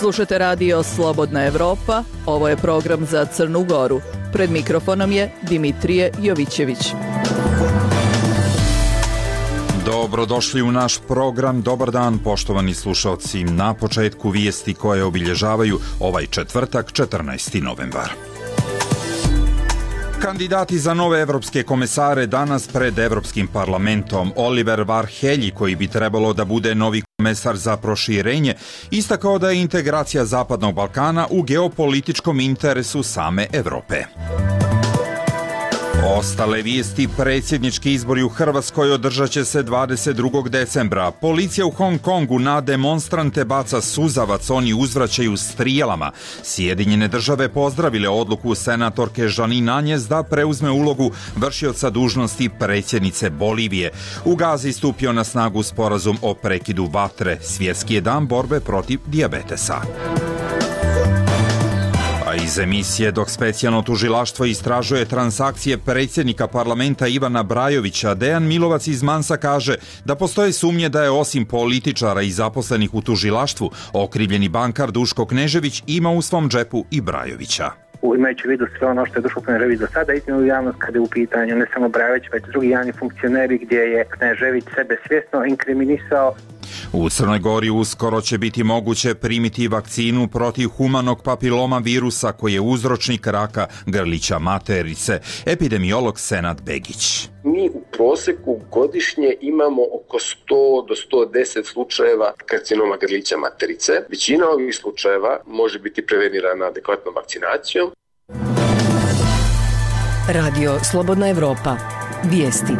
Slušate radio Slobodna Evropa, ovo je program za Crnu Goru. Pred mikrofonom je Dimitrije Jovićević. Dobrodošli u naš program. Dobar dan, poštovani slušalci. Na početku vijesti koje obilježavaju ovaj četvrtak, 14. novembar. Kandidati za nove evropske komesare danas pred Evropskim parlamentom. Oliver Varhelyi, koji bi trebalo da bude novi komesar za proširenje, istakao da je integracija Zapadnog Balkana u geopolitičkom interesu same Evrope. Ostale vijesti: predsjednički izbori u Hrvatskoj održat će se 22. decembra. Policija u Hong Kongu na demonstrante baca suzavac, oni uzvraćaju strijelama. Sjedinjene države pozdravile odluku senatorke Jeanine Áñez da preuzme ulogu vršioca dužnosti predsjednice Bolivije. U Gazi stupio na snagu sporazum o prekidu vatre. Svjetski je dan borbe protiv dijabetesa. Iz emisije: dok specijalno tužilaštvo istražuje transakcije predsjednika parlamenta Ivana Brajovića, Dejan Milovac iz Mansa kaže da postoje sumnje da je osim političara i zaposlenih u tužilaštvu, okrivljeni bankar Duško Knežević ima u svom džepu i Brajovića. Imajući u vidu sve ono što je Duško Knežević do sada iznio u javnost kada je u pitanju ne samo Brajović, već drugi javni funkcioneri gdje je Knežević sebe svjesno inkriminisao. U Crnoj Gori uskoro će biti moguće primiti vakcinu protiv humanog papiloma virusa koji je uzročnik raka grlića materice. Epidemiolog Senad Begić. Mi u prosjeku godišnje imamo oko 100 do 110 slučajeva karcinoma grlića materice. Većina ovih slučajeva može biti prevenirana adekvatnom vakcinacijom. Radio Slobodna Evropa. Vijesti.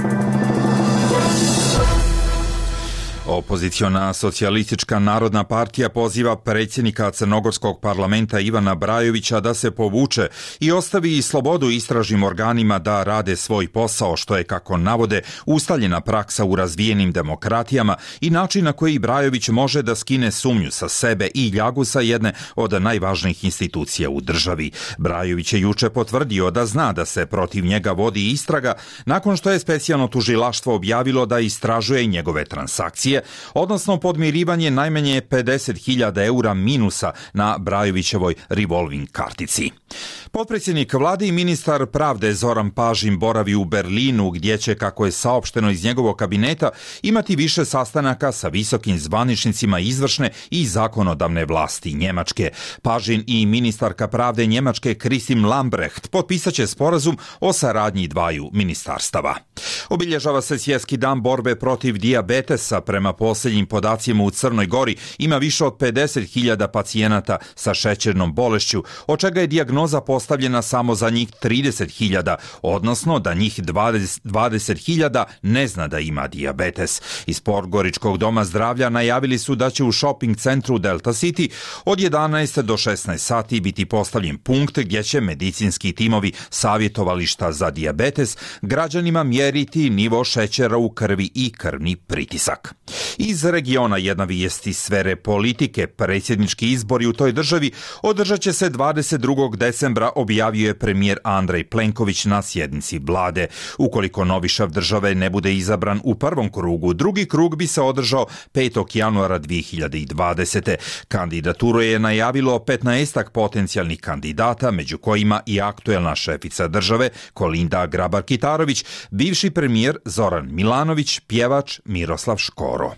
Opoziciona socijalistička narodna partija poziva predsjednika crnogorskog parlamenta Ivana Brajovića da se povuče i ostavi slobodu istražnim organima da rade svoj posao, što je, kako navode, ustaljena praksa u razvijenim demokratijama i način na koji Brajović može da skine sumnju sa sebe i ljagu sa jedne od najvažnijih institucija u državi. Brajović je juče potvrdio da zna da se protiv njega vodi istraga nakon što je specijalno tužilaštvo objavilo da istražuje njegove transakcije, odnosno podmirivanje najmanje 50.000 eura minusa na Brajovićevoj revolving kartici. Potpredsjednik vlade i ministar pravde Zoran Pažin boravi u Berlinu, gdje će, kako je saopšteno iz njegovog kabineta, imati više sastanaka sa visokim zvaničnicima izvršne i zakonodavne vlasti Njemačke. Pažin i ministarka pravde Njemačke Christine Lambrecht potpisat će sporazum o saradnji dvaju ministarstava. Obilježava se Svjetski dan borbe protiv dijabetesa. Prema posljednjim podacima u Crnoj Gori ima više od 50.000 pacijenata sa šećernom bolešću, od čega je dijagnoza postavljena samo za njih 30.000, odnosno da njih 20.000 ne zna da ima dijabetes. Iz Podgoričkog doma zdravlja najavili su da će u shopping centru Delta City od 11 do 16 sati biti postavljen punkt gdje će medicinski timovi savjetovališta za dijabetes građanima mjeriti nivo šećera u krvi i krvni pritisak. Iz regiona jedna vijest iz sfere politike. Predsjednički izbori u toj državi održat će se 22. decembra, objavio je premijer Andrej Plenković na sjednici vlade. Ukoliko novi šef države ne bude izabran u prvom krugu, drugi krug bi se održao 5. januara 2020. Kandidaturu je najavilo 15 potencijalnih kandidata, među kojima i aktuelna šefica države Kolinda Grabar-Kitarović, bivši premijer Zoran Milanović, pjevač Miroslav Škoro.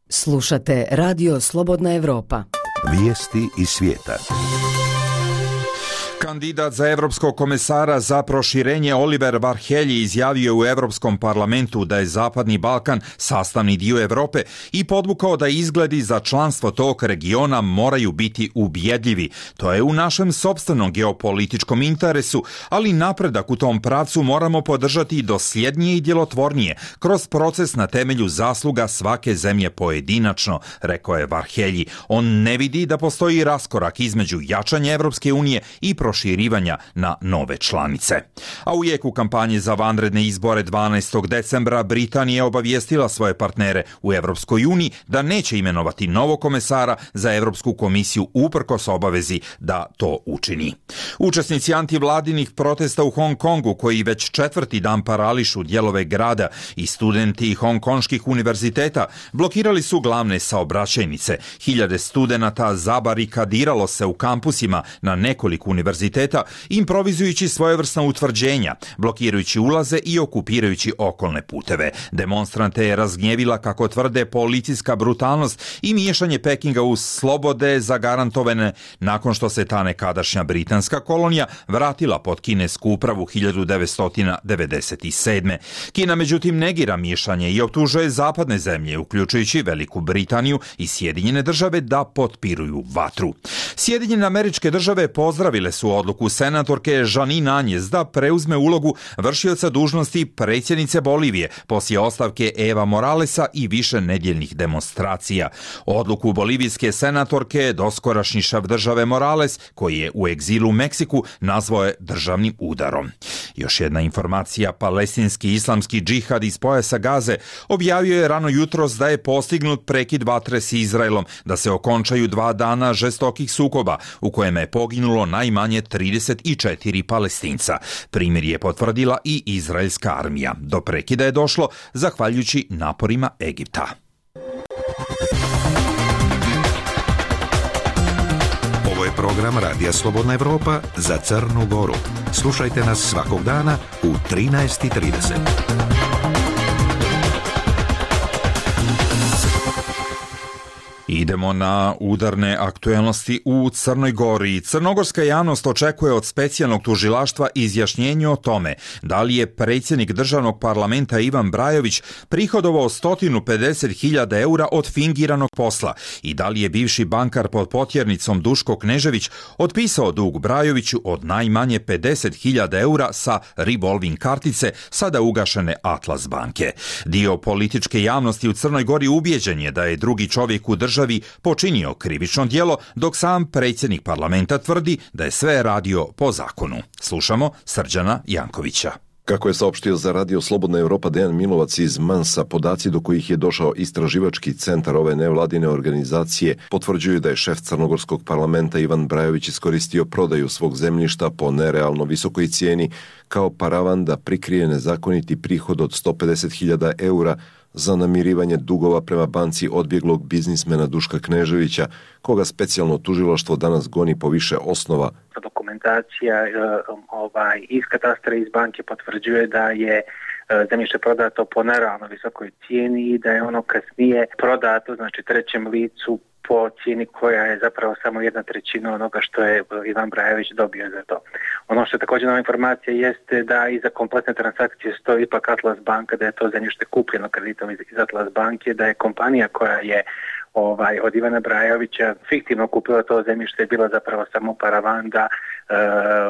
Slušate Radio Slobodna Evropa. Vijesti iz svijeta. Kandidat za evropskog komesara za proširenje Oliver Varhelyi izjavio u Evropskom parlamentu da je Zapadni Balkan sastavni dio Evrope i podvukao da izgledi za članstvo tog regiona moraju biti ubjedljivi. To je u našem sopstvenom geopolitičkom interesu, ali napredak u tom pravcu moramo podržati dosljednije i djelotvornije, kroz proces na temelju zasluga svake zemlje pojedinačno, rekao je Varhelyi. On ne vidi da postoji raskorak između jačanja Evropske unije i proširenja proširivanja na nove članice. A u jeku kampanje za vanredne izbore 12. decembra Britanija je obavijestila svoje partnere u Evropskoj uniji da neće imenovati novog komesara za Evropsku komisiju uprkos obavezi da to učini. Učesnici antivladinih protesta u Hong Kongu, koji već 4. dan parališu dijelove grada, i studenti hongkonških univerziteta blokirali su glavne saobraćajnice. Hiljade studenata zabarikadiralo se u kampusima na nekoliko univerziteta, improvizujući svojevrsna utvrđenja, blokirajući ulaze i okupirajući okolne puteve. Demonstrante je razgnjevila, kako tvrde, policijska brutalnost i miješanje Pekinga u slobode zagarantovane nakon što se ta nekadašnja britanska kolonija vratila pod kinesku upravu 1997. Kina međutim negira miješanje i optužuje zapadne zemlje, uključujući Veliku Britaniju i Sjedinjene države, da potpiruju vatru. Sjedinjene Američke države pozdravile su odluku senatorke Jeanine Áñez da preuzme ulogu vršioca dužnosti predsjednice Bolivije poslije ostavke Eva Moralesa i više nedjeljnih demonstracija. Odluku bolivijske senatorke doskorašnji šef države Morales, koji je u egzilu u Meksiku, nazvao je državnim udarom. Još jedna informacija: palestinski islamski džihad iz pojasa Gaze objavio je rano jutros da je postignut prekid vatre s Izraelom, da se okončaju 2 dana žestokih sukoba u kojima je poginulo najmanje 34 Palestinca. Primjer je potvrdila i izraelska armija. Do prekida je došlo zahvaljujući naporima Egipta. Ovo je program Radija Slobodna Evropa za Crnu Goru. Slušajte nas svakog dana u 13:30. Idemo na udarne aktuelnosti u Crnoj Gori. Crnogorska javnost očekuje od specijalnog tužilaštva izjašnjenje o tome da li je predsjednik državnog parlamenta Ivan Brajović prihodovao 150.000 eura od fingiranog posla i da li je bivši bankar pod potjernicom Duško Knežević otpisao dug Brajoviću od najmanje 50.000 eura sa revolving kartice sada ugašene Atlas banke. Dio političke javnosti u Crnoj Gori ubijeđen je da je drugi čovjek u državi počinio krivično djelo, dok sam predsjednik parlamenta tvrdi da je sve radio po zakonu. Slušamo Srđana Jankovića. Kako je saopštio za Radio Slobodna Evropa Dejan Milovac iz Mansa, podaci do kojih je došao istraživački centar ove nevladine organizacije potvrđuju da je šef crnogorskog parlamenta Ivan Brajović iskoristio prodaju svog zemljišta po nerealno visokoj cijeni kao paravan da prikrije nezakoniti prihod od 150.000 eura za namirivanje dugova prema banci odbjeglog biznismena Duška Kneževića, koga specijalno tužilaštvo danas goni po više osnova. Dokumentacija iz katastra iz banke potvrđuje da je zemljište prodato po nerealno visokoj cijeni i da je ono kasnije prodato, znači trećem licu, po cijeni koja je zapravo samo 1/3 onoga što je Ivan Brajović dobio za to. Ono što je također nova informacija jeste da iza kompletne transakcije stoji ipak Atlas banka, da je to zemljište kupljeno kreditom iz Atlas banke, da je kompanija koja je od Ivana Brajovića fiktivno kupila to zemljište, je bila zapravo samo paravan da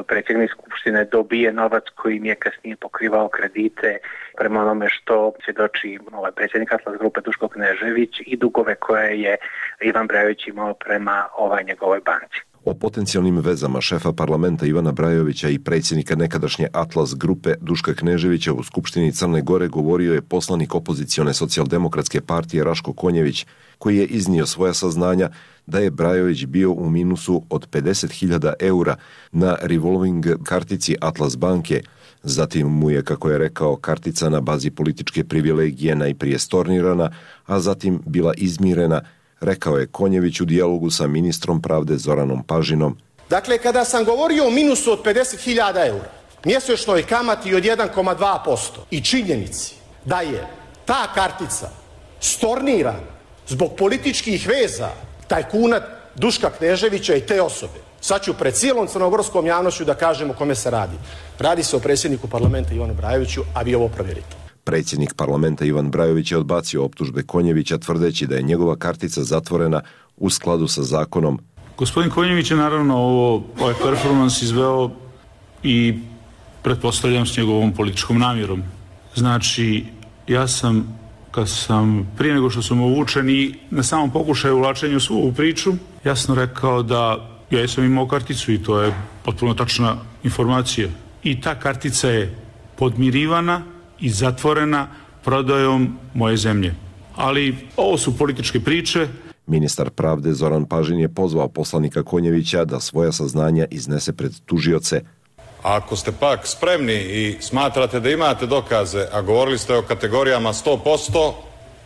predsjednik skupštine dobije novac kojim je kasnije pokrivao kredite prema onome što svjedoči predsjednik Atlas grupe Duško Knežević i dugove koje je Ivan Brajović imao prema njegovoj banci. O potencijalnim vezama šefa parlamenta Ivana Brajovića i predsjednika nekadašnje Atlas grupe Duška Kneževića u Skupštini Crne Gore govorio je poslanik opozicione socijaldemokratske partije Raško Konjević, koji je iznio svoja saznanja da je Brajović bio u minusu od 50.000 eura na revolving kartici Atlas banke. Zatim mu je, kako je rekao, kartica na bazi političke privilegije najprije stornirana, a zatim bila izmirena, rekao je Konjević u dijalogu sa ministrom pravde Zoranom Pažinom. Dakle, kada sam govorio o minusu od 50.000 eura, mjesečnoj kamati od 1,2% i činjenici da je ta kartica stornirana zbog političkih veza tajkuna Duška Kneževića i te osobe, sad ću pred cijelom crnogorskom javnošću da kažem o kome se radi. Radi se o predsjedniku parlamenta Ivanu Brajoviću, a vi ovo provjerite. Predsjednik parlamenta Ivan Brajović je odbacio optužbe Konjevića tvrdeći da je njegova kartica zatvorena u skladu sa zakonom. Gospodin Konjević je naravno ovaj performans izveo i pretpostavljam s njegovom političkom namjerom. Znači, ja sam, prije nego što sam uvučen i na samom pokušaju uvlačenja u svu ovu priču, jasno rekao da ja sam imao karticu i to je potpuno tačna informacija. I ta kartica je podmirivana i zatvorena prodajom moje zemlje. Ali ovo su političke priče. Ministar pravde Zoran Pažin je pozvao poslanika Konjevića da svoja saznanja iznese pred tužioce. Ako ste pak spremni i smatrate da imate dokaze, a govorili ste o kategorijama 100%,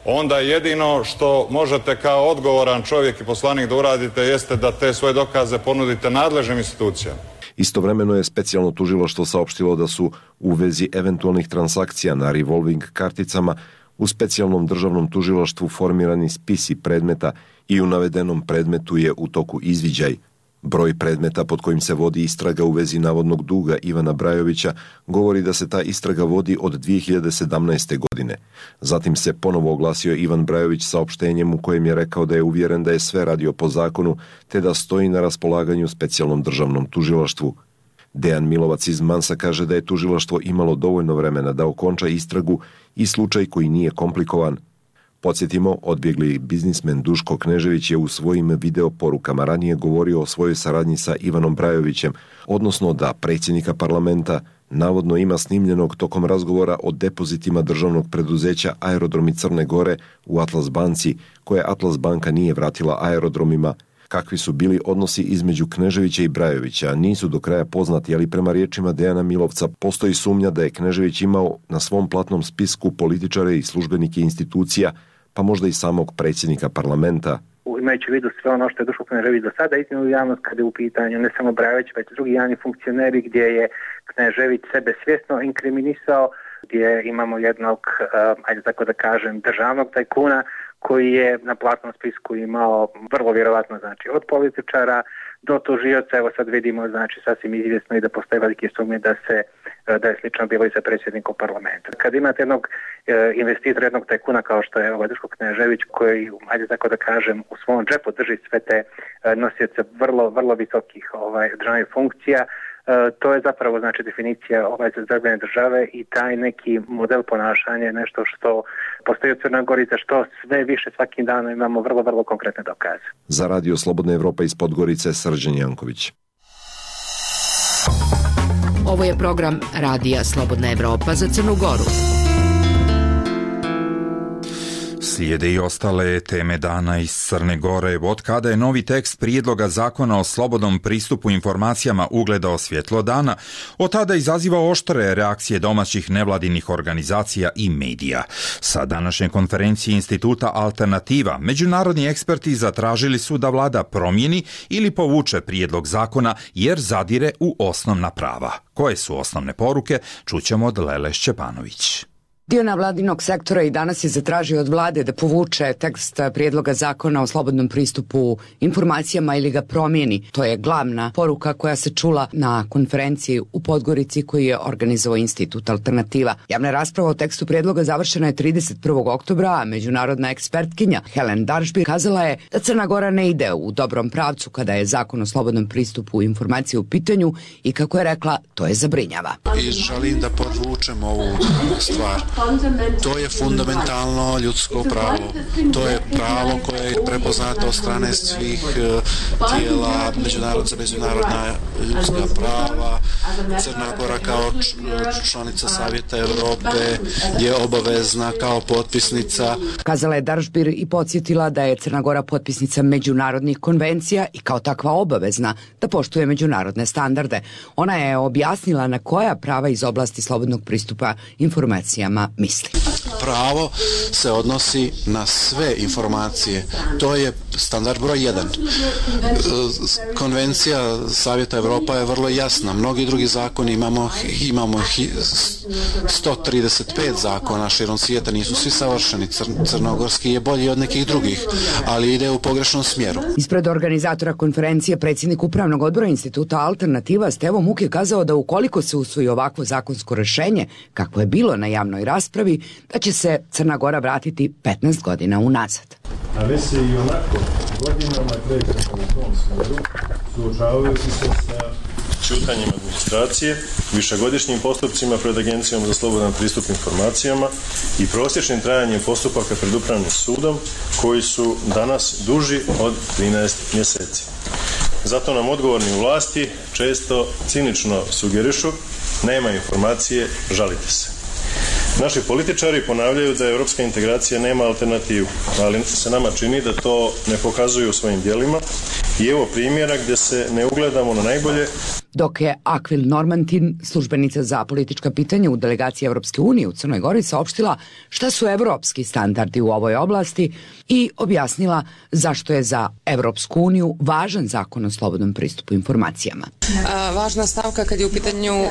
onda jedino što možete kao odgovoran čovjek i poslanik da uradite jeste da te svoje dokaze ponudite nadležnim institucijama. Istovremeno je specijalno tužilaštvo saopštilo da su u vezi eventualnih transakcija na revolving karticama u specijalnom državnom tužilaštvu formirani spisi predmeta i u navedenom predmetu je u toku izviđaj. Broj predmeta pod kojim se vodi istraga u vezi navodnog duga Ivana Brajovića govori da se ta istraga vodi od 2017. godine. Zatim se ponovo oglasio Ivan Brajović saopštenjem u kojem je rekao da je uvjeren da je sve radio po zakonu te da stoji na raspolaganju specijalnom državnom tužilaštvu. Dejan Milovac iz Mansa kaže da je tužilaštvo imalo dovoljno vremena da okonča istragu i slučaj koji nije komplikovan. Podsjetimo, odbjegli biznismen Duško Knežević je u svojim video porukama ranije govorio o svojoj saradnji sa Ivanom Brajovićem, odnosno da predsjednika parlamenta navodno ima snimljenog tokom razgovora o depozitima državnog preduzeća Aerodromi Crne Gore u Atlas banci, koje Atlas banka nije vratila aerodromima. Kakvi su bili odnosi između Kneževića i Brajovića nisu do kraja poznati, ali prema riječima Dejana Milovca postoji sumnja da je Knežević imao na svom platnom spisku političare i službenike institucija, pa možda i samog predsjednika parlamenta. Imajući u vidu sve ono što je Duško Knežević do sada iznio u javnost kada je u pitanju ne samo Brajović, već drugi javni funkcioneri gdje je Knežević sebe svjesno inkriminisao, gdje imamo jednog, ajde tako da kažem, državnog tajkuna koji je na platnom spisku imao vrlo vjerovatno, znači, od političara do tužioca. Evo sad vidimo, znači, sasvim izvjesno i da postoje velike sumnje da je slično bilo i sa predsjednikom parlamenta. Kad imate jednog investitora, jednog tajkuna kao što je Duško Knežević, koji, ajde tako da kažem, u svom džepu drži sve te nosioce vrlo visokih državnih funkcija, to je zapravo, znači, definicija zagrljene države i taj neki model ponašanja je nešto što postoji u Crnoj Gori, za što sve više svakim danom imamo vrlo konkretne dokaze. Za Radio Slobodna Evropa iz Podgorice, Srđan Janković. Ovo je program Radija Slobodna Evropa za Crnu Goru. Slijede i ostale teme dana iz Crne Gore. Od kada je novi tekst prijedloga zakona o slobodnom pristupu informacijama ugledao svjetlo dana, od tada izaziva oštre reakcije domaćih nevladinih organizacija i medija. Sa današnje konferencije Instituta Alternativa, međunarodni eksperti zatražili su da vlada promijeni ili povuče prijedlog zakona jer zadire u osnovna prava. Koje su osnovne poruke, čućemo od Lele Šćepanović. Dio nevladinog sektora i danas je zatražio od vlade da povuče tekst prijedloga zakona o slobodnom pristupu informacijama ili ga promijeni. To je glavna poruka koja se čula na konferenciji u Podgorici koju je organizovao Institut Alternativa. Javna rasprava o tekstu prijedloga završena je 31. oktobra, a međunarodna ekspertkinja Helen Darshbir kazala je da Crna Gora ne ide u dobrom pravcu kada je zakon o slobodnom pristupu informacije u pitanju i, kako je rekla, to je zabrinjava. I želim da podvučem ovu stvar. To je fundamentalno ljudsko pravo. To je pravo koje je prepoznato od strane svih tijela, međunarodna ljudska prava. Crna Gora kao članica Savjeta Europe je obavezna kao potpisnica. Kazala je Darshbir i podsjetila da je Crna Gora potpisnica međunarodnih konvencija i kao takva obavezna da poštuje međunarodne standarde. Ona je objasnila na koja prava iz oblasti slobodnog pristupa informacijama misli. Pravo se odnosi na sve informacije. To je standard broj 1. Konvencija Savjeta Evropa je vrlo jasna. Mnogi drugi zakoni imamo 135 zakona širom svijeta, nisu svi savršeni. Crnogorski je bolji od nekih drugih, ali ide u pogrešnom smjeru. Ispred organizatora konferencije predsjednik Upravnog odbora Instituta Alternativa Stevo Muk je kazao da ukoliko se usvoji ovakvo zakonsko rješenje, kako je bilo na javnoj raspravi, da će se Crna Gora vratiti 15 godina unazad. A već se i onako godinama krećemo u tom smjeru, suočavajući se sa ćutanjem administracije, višegodišnjim postupcima pred Agencijom za slobodan pristup informacijama i prosječnim trajanjem postupaka pred Upravnim sudom koji su danas duži od 13 mjeseci. Zato nam odgovorni u vlasti često cinično sugerišu: nema informacije, žalite se. Naši političari ponavljaju da europska integracija nema alternativu, ali se nama čini da to ne pokazuju svojim djelima i evo primjera gdje se ne ugledamo na najbolje. Dok je Akvil Normantin, službenica za politička pitanja u delegaciji Evropske unije u Crnoj Gori, saopštila šta su evropski standardi u ovoj oblasti i objasnila zašto je za Evropsku uniju važan zakon o slobodnom pristupu informacijama. Važna stavka kad su u pitanju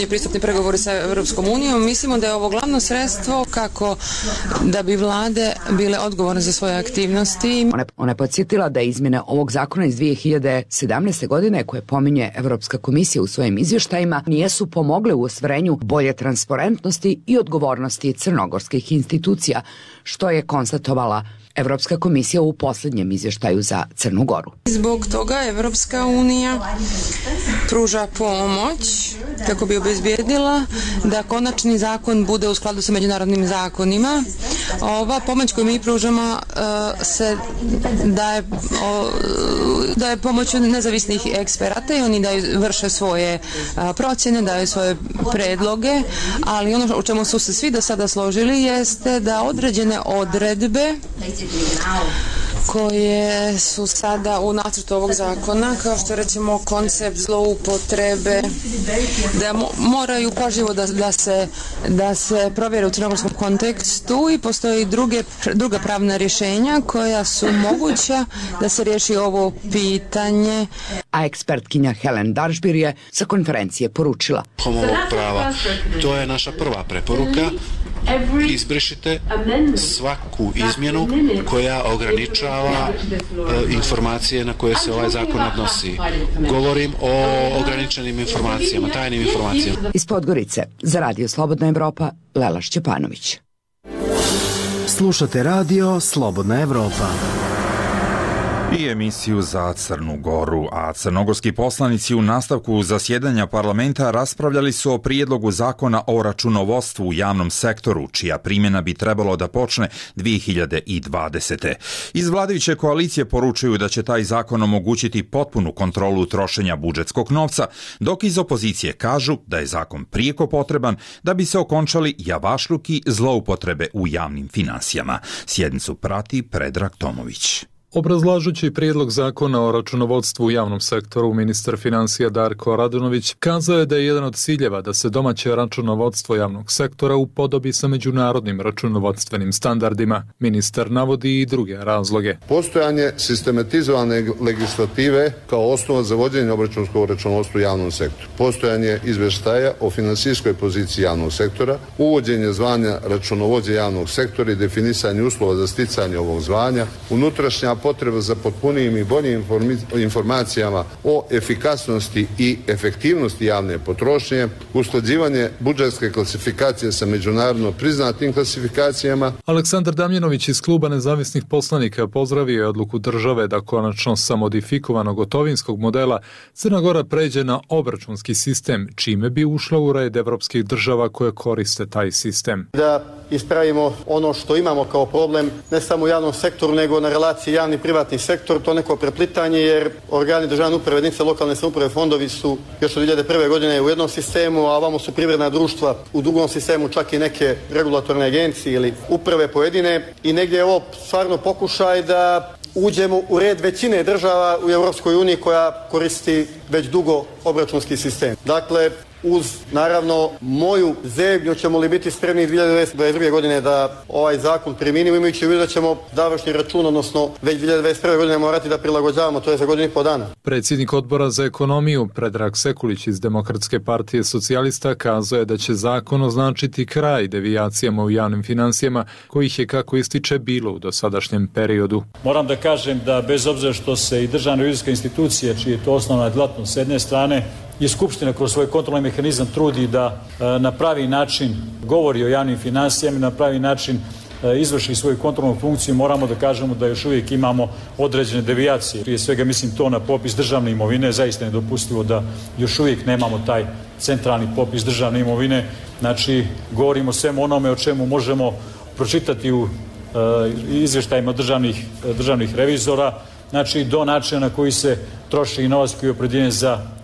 pristupni pregovori sa Evropskom unijom, mislimo da je ovo glavno sredstvo kako da bi vlade bile odgovorne za svoje aktivnosti. Ona je podsjetila da izmjene ovog zakona iz 2017. godine, koje pominje Evropska komisija u svojim izvještajima, nijesu pomogle u ostvarenju bolje transparentnosti i odgovornosti crnogorskih institucija, što je konstatovala Evropska komisija u posljednjem izvještaju za Crnu Goru. Zbog toga Evropska unija pruža pomoć kako bi obezbijedila da konačni zakon bude u skladu sa međunarodnim zakonima. Ova pomoć koju mi pružamo se daje pomoću nezavisnih eksperata i oni vrše svoje procjene, daju svoje predloge, ali ono u čemu su se svi do sada složili jeste da određene odredbe koje su sada u nacrtu ovog zakona, kao što recimo koncept zloupotrebe, da moraju pažljivo da se provjere u crnogorskom kontekstu i postoji druga pravna rješenja koja su moguća da se riješi ovo pitanje. A ekspertkinja Helen Daržbir je sa konferencije poručila: ovog prava, to je naša prva preporuka. Izbrišite svaku izmjenu koja ograničava informacije na koje se ovaj zakon odnosi. Govorim o ograničenim informacijama, tajnim informacijama. Iz Podgorice, za Radio Slobodna Evropa, Lela Šćepanović. Slušate Radio Slobodna Evropa. I emisiju za Crnu Goru, a crnogorski poslanici u nastavku zasjedanja parlamenta raspravljali su o prijedlogu zakona o računovodstvu u javnom sektoru, čija primjena bi trebalo da počne 2020. Iz vladajuće koalicije poručuju da će taj zakon omogućiti potpunu kontrolu trošenja budžetskog novca, dok iz opozicije kažu da je zakon prijeko potreban da bi se okončali javašluki zloupotrebe u javnim finansijama. Sjednicu prati Predrag Tomović. Obrazlažući prijedlog zakona o računovodstvu u javnom sektoru, ministar financija Darko Radunović kazao je da je jedan od ciljeva da se domaće računovodstvo javnog sektora upodobi sa međunarodnim računovodstvenim standardima. Ministar navodi i druge razloge. Postojanje sistematizovane legislative kao osnova za vođenje obračunskog računovodstva u javnom sektoru. Postojanje izvještaja o finansijskoj poziciji javnog sektora, uvođenje zvanja računovođe javnog sektora i definisanje uslova za sticanje ovog zvanja, unutrašnja potreba za potpunijim i boljim informacijama o efikasnosti i efektivnosti javne potrošnje, usklađivanje budžetske klasifikacije sa međunarodno priznatim klasifikacijama. Aleksandar Damjanović iz Kluba nezavisnih poslanika pozdravio je odluku države da konačno sa modifikovanog gotovinskog modela Crna Gora pređe na obračunski sistem, čime bi ušla u red evropskih država koje koriste taj sistem. Da ispravimo ono što imamo kao problem, ne samo u javnom sektoru, nego na relaciji javni i privatni sektor, to neko preplitanje, jer organi državne uprave, jedinice lokalne samouprave, fondovi su još od 2001. godine u jednom sistemu, a ovamo su privredna društva u drugom sistemu, čak i neke regulatorne agencije ili uprave pojedine, i negdje je ovo stvarno pokušaj da uđemo u red većine država u Europskoj uniji koja koristi već dugo obračunski sistem. Dakle, uz, naravno, moju zebnju ćemo li biti spremni 2022. godine da ovaj zakon priminimo, imajući u vidu da ćemo završni račun, odnosno već 2021. godine morati da prilagođavamo, to je za godinu i po dana. Predsjednik odbora za ekonomiju Predrag Sekulić iz Demokratske partije socijalista kazao je da će zakon označiti kraj devijacijama u javnim finansijama, kojih je, kako ističe, bilo u dosadašnjem periodu. Moram da kažem da bez obzira što se i državna revizijska institucija, čiji je to osnovna djelatnost s jedne strane, i Skupština kroz svoj kontrolni mehanizam trudi da na pravi način govori o javnim financijama i na pravi način izvrši svoju kontrolnu funkciju, moramo da kažemo da još uvijek imamo određene devijacije. Prije svega mislim to na popis državne imovine, zaista je nedopustivo da još uvijek nemamo taj centralni popis državne imovine. Znači, govorimo o svemu onome o čemu možemo pročitati u izvještajima državnih revizora. znači do načina na koji se troši i novac koji je opredjeljen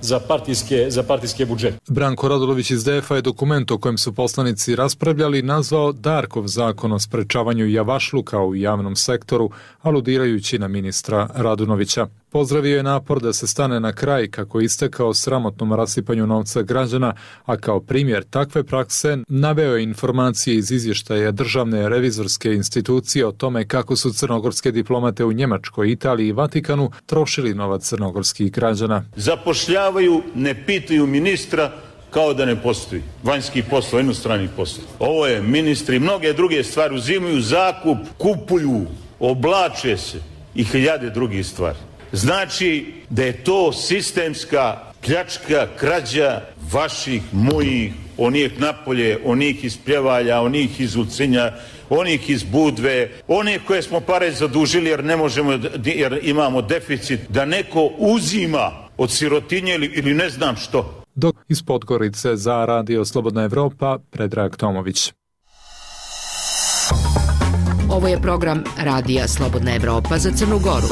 za partijske budžete. Branko Radulović iz DF-a je dokument o kojem su poslanici raspravljali nazvao Darkov zakon o sprečavanju javašluka u javnom sektoru, aludirajući na ministra Radunovića. Pozdravio je napor da se stane na kraj kako je istekao sramotnom rasipanju novca građana, a kao primjer takve prakse naveo je informacije iz izvještaja Državne revizorske institucije o tome kako su crnogorske diplomate u Njemačkoj, Italiji i Vatikanu trošili novac crnogorskih građana. Zapošljavaju, ne pitaju ministra kao da ne postoji. Vanjski posao, inostrani posao. Ovo je ministri, mnoge druge stvari uzimaju zakup, kupuju, oblače se i hiljade drugih stvari. Znači da je to sistemska pljačka, krađa vaših, mojih, onih napolje, onih iz Pljevalja, onih iz Ulcinja, onih iz Budve, onih koje smo pare zadužili jer ne možemo, jer imamo deficit, da neko uzima od sirotinje ili ne znam što. Dok iz Podgorice za Radio Slobodna Evropa, Predrag Tomović. Ovo je program Radija Slobodna Evropa za Crnu Goru.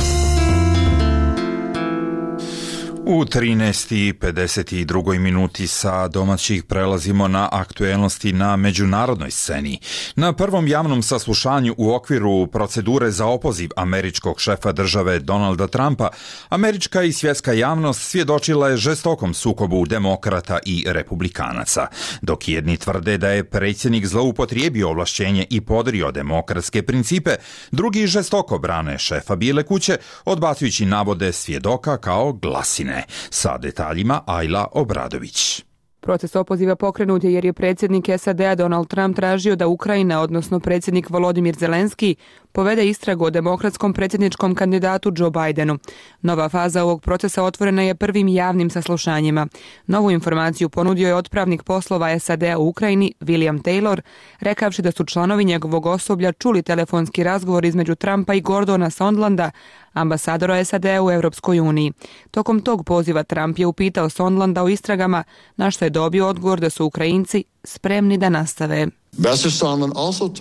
U 13:52 minuti sa domaćih prelazimo na aktuelnosti na međunarodnoj sceni. Na prvom javnom saslušanju u okviru procedure za opoziv američkog šefa države Donalda Trumpa, američka i svjetska javnost svjedočila je žestokom sukobu demokrata i republikanaca. Dok jedni tvrde da je predsjednik zloupotrijebio ovlašćenje i podrio demokratske principe, drugi žestoko brane šefa Bijele kuće, odbacujući navode svjedoka kao glasine. Sa detaljima Ajla Obradović. Proces opoziva pokrenut je jer je predsjednik SAD-a Donald Trump tražio da Ukrajina, odnosno predsjednik Volodimir Zelenski, povede istragu o demokratskom predsjedničkom kandidatu Joe Bidenu. Nova faza ovog procesa otvorena je prvim javnim saslušanjima. Novu informaciju ponudio je otpravnik poslova SAD-a u Ukrajini William Taylor, rekavši da su članovi njegovog osoblja čuli telefonski razgovor između Trumpa i Gordona Sondlanda, ambasadora SAD-a u Europskoj uniji. Tokom tog poziva Trump je upitao Sondlanda o istragama, na što je dobio odgovor da su Ukrajinci spremni da nastave.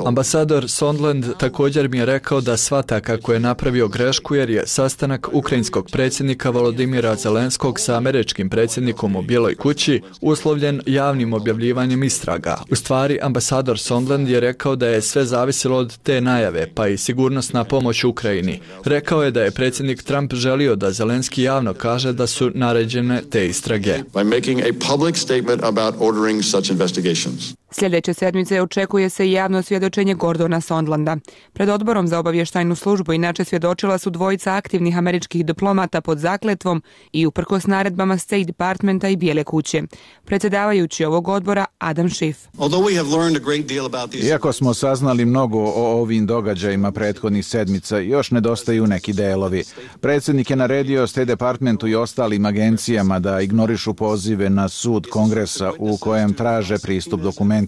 Ambasador Sondland također mi je rekao da shvata kako je napravio grešku jer je sastanak ukrajinskog predsjednika Volodimira Zelenskog sa američkim predsjednikom u Bijeloj kući uslovljen javnim objavljivanjem istraga. U stvari, ambasador Sondland je rekao da je sve zavisilo od te najave, pa i sigurnosna pomoć Ukrajini. Rekao je da je predsjednik Trump želio da Zelenski javno kaže da su naređene te istrage. Sljedeće sedmice očekuje se i javno svjedočenje Gordona Sondlanda. Pred odborom za obavještajnu službu inače svjedočila su dvojica aktivnih američkih diplomata pod zakletvom i uprkos naredbama State Departmenta i Bijele kuće. Predsjedavajući ovog odbora Adam Schiff. Iako smo saznali mnogo o ovim događajima prethodnih sedmica, još nedostaju neki delovi. Predsjednik je naredio State Departmentu i ostalim agencijama da ignorišu pozive na sud Kongresa u kojem traže pristup dokumentima.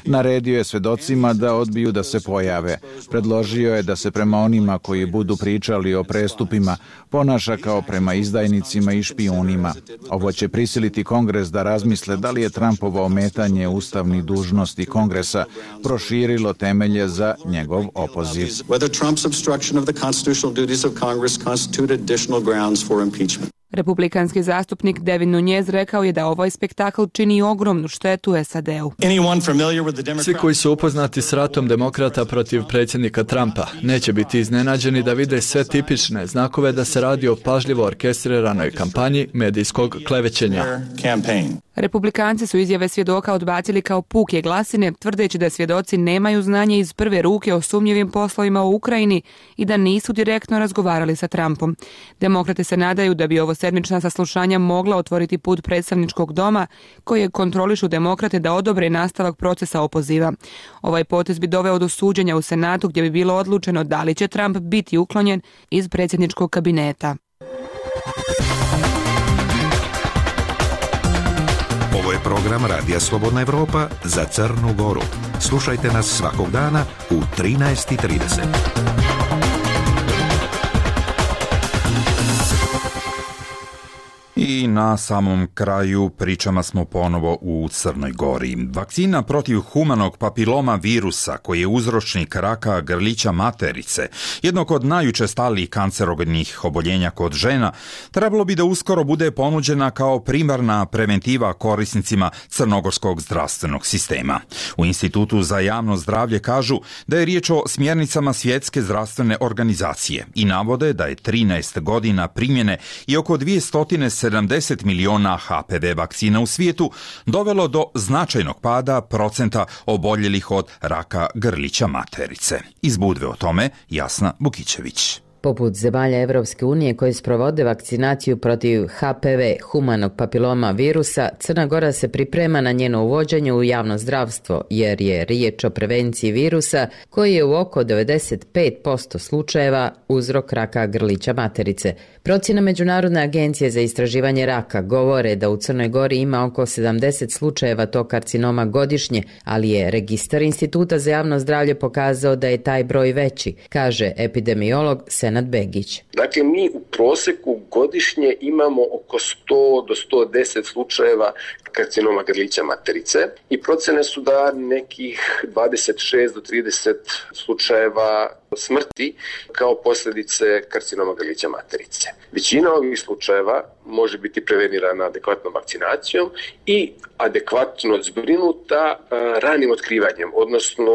Naredio je svedocima da odbiju da se pojave. Predložio je da se prema onima koji budu pričali o prestupima ponaša kao prema izdajnicima i špijunima. Ovo će prisiliti Kongres da razmisle da li je Trumpovo ometanje ustavnih dužnosti Kongresa proširilo temelje za njegov opoziv. Republikanski zastupnik Devin Nunes rekao je da ovaj spektakl čini ogromnu štetu SAD-u. Svi koji su upoznati s ratom demokrata protiv predsjednika Trumpa neće biti iznenađeni da vide sve tipične znakove da se radi o pažljivo orkestriranoj kampanji medijskog klevećenja. Republikanci su izjave svjedoka odbacili kao puke glasine, tvrdeći da svjedoci nemaju znanje iz prve ruke o sumnjivim poslovima u Ukrajini i da nisu direktno razgovarali sa Trumpom. Demokrate se nadaju da bi ovo sedmična saslušanja mogla otvoriti put predstavničkog doma, koje kontrolišu demokrate da odobre nastavak procesa opoziva. Ovaj potez bi doveo do suđenja u Senatu gdje bi bilo odlučeno da li će Trump biti uklonjen iz predsjedničkog kabineta. Ovo je program Radija Slobodna Evropa za Crnu Goru. Slušajte nas svakog dana u 13:30. I na samom kraju pričama smo ponovo u Crnoj Gori. Vakcina protiv humanog papiloma virusa, koji je uzročnik raka grlića materice, jednog od najučestalijih kancerogenih oboljenja kod žena, trebalo bi da uskoro bude ponuđena kao primarna preventiva korisnicima crnogorskog zdravstvenog sistema. U Institutu za javno zdravlje kažu da je riječ o smjernicama Svjetske zdravstvene organizacije i navode da je 13 godina primjene i oko 270 miliona HPV vakcina u svijetu dovelo do značajnog pada procenta oboljelih od raka grlića materice. Iz Budve o tome Jasna Bukićević. Poput zemalja Evropske unije koje sprovode vakcinaciju protiv HPV, humanog papiloma virusa, Crna Gora se priprema na njeno uvođenje u javno zdravstvo, jer je riječ o prevenciji virusa koji je u oko 95% slučajeva uzrok raka grlića materice. Procjena Međunarodne agencije za istraživanje raka govore da u Crnoj Gori ima oko 70 slučajeva tog karcinoma godišnje, ali je registar Instituta za javno zdravlje pokazao da je taj broj veći, kaže epidemiolog Senad Begić. Dakle, mi u prosjeku godišnje imamo oko 100 do 110 slučajeva karcinoma grlića materice i procjene su da nekih 26 do 30 slučajeva smrti kao posljedice karcinoma grlića materice. Većina ovih slučajeva može biti prevenirana adekvatnom vakcinacijom i adekvatno zbrinuta ranim otkrivanjem, odnosno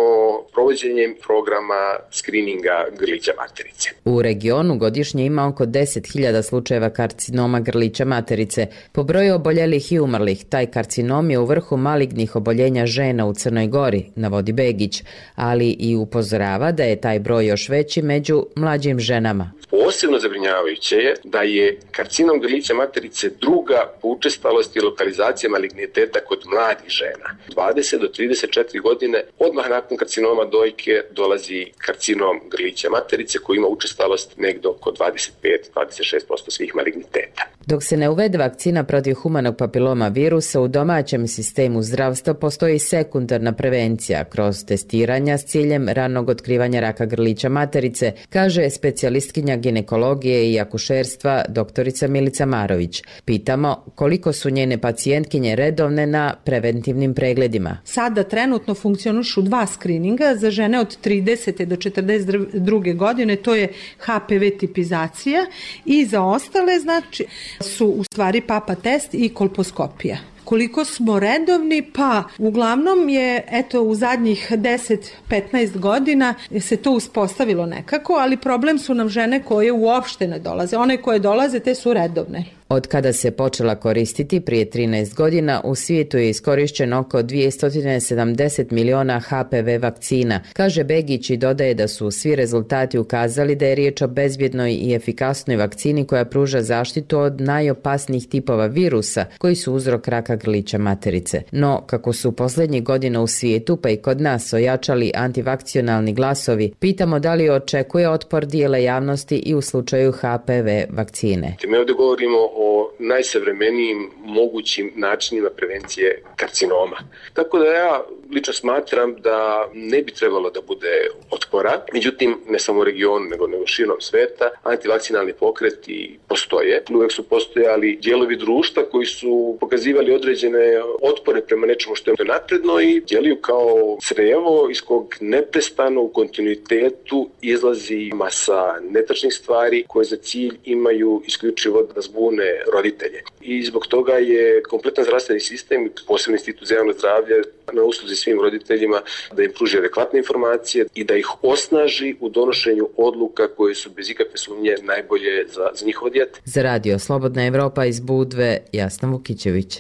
provođenjem programa skrininga grlića materice. U regionu godišnje ima oko 10.000 slučajeva karcinoma grlića materice. Po broju oboljelih i umrlih, taj karcinom je u vrhu malignih oboljenja žena u Crnoj Gori, navodi Begić, ali i upozorava da je taj broj još veći među mlađim ženama. Posebno zabrinjavajuće je da je karcinom grlića materice druga po učestalosti i lokalizacija maligniteta kod mladih žena. 20 do 34 godine odmah nakon karcinoma dojke dolazi karcinom grlića materice koji ima učestalost negdje oko 25-26% svih maligniteta. Dok se ne uvede vakcina protiv humanog papiloma virusa, u domaćem sistemu zdravstva postoji sekundarna prevencija kroz testiranja s ciljem ranog otkrivanja raka grlića materice, kaže specijalistkinja ginekologije i akušerstva doktorica Milica Marović. Pitamo koliko su njene pacijentkinje redovne na preventivnim pregledima. Sada trenutno funkcionišu 2 skrininga za žene od 30. do 42. godine, to je HPV tipizacija, i za ostale znači su u stvari papa test i kolposkopija. Koliko smo redovni? Pa uglavnom je u zadnjih 10-15 godina se to uspostavilo nekako, ali problem su nam žene koje uopšte ne dolaze. One koje dolaze, te su redovne. Od kada se počela koristiti prije 13 godina, u svijetu je iskorišćeno oko 270 miliona HPV vakcina, kaže Begić i dodaje da su svi rezultati ukazali da je riječ o bezbjednoj i efikasnoj vakcini koja pruža zaštitu od najopasnijih tipova virusa koji su uzrok raka grlića materice. No, kako su posljednjih godina u svijetu pa i kod nas ojačali antivakcionalni glasovi, pitamo da li očekuje otpor dijela javnosti i u slučaju HPV vakcine. Mi ovdje govorimo o najsavremenijim mogućim načinima prevencije karcinoma. Tako da ja lično smatram da ne bi trebalo da bude otpora. Međutim, ne samo u regionu, nego širom sveta, antivakcinalni pokreti postoje. Uvijek su postojali dijelovi društva koji su pokazivali određene otpore prema nečemu što je napredno i djeluju kao crevo iz kog neprestano u kontinuitetu izlazi masa netačnih stvari koje za cilj imaju isključivo da zbune roditelje. I zbog toga je kompletan zdravstveni sistem, posebno Institut za javno zdravlje, na usluzi svim roditeljima da im pruži adekvatne informacije i da ih osnaži u donošenju odluka koje su bez ikakve sumnje najbolje za njihovo dijete. Za radio Slobodna Evropa iz Budve, Jasna Vukićević.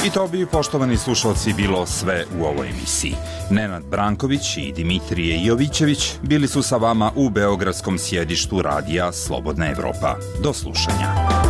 I to bi, poštovani slušalci, bilo sve u ovoj emisiji. Nenad Branković i Dimitrije Jovićević bili su sa vama u beogradskom sjedištu radija Slobodna Evropa. Do slušanja.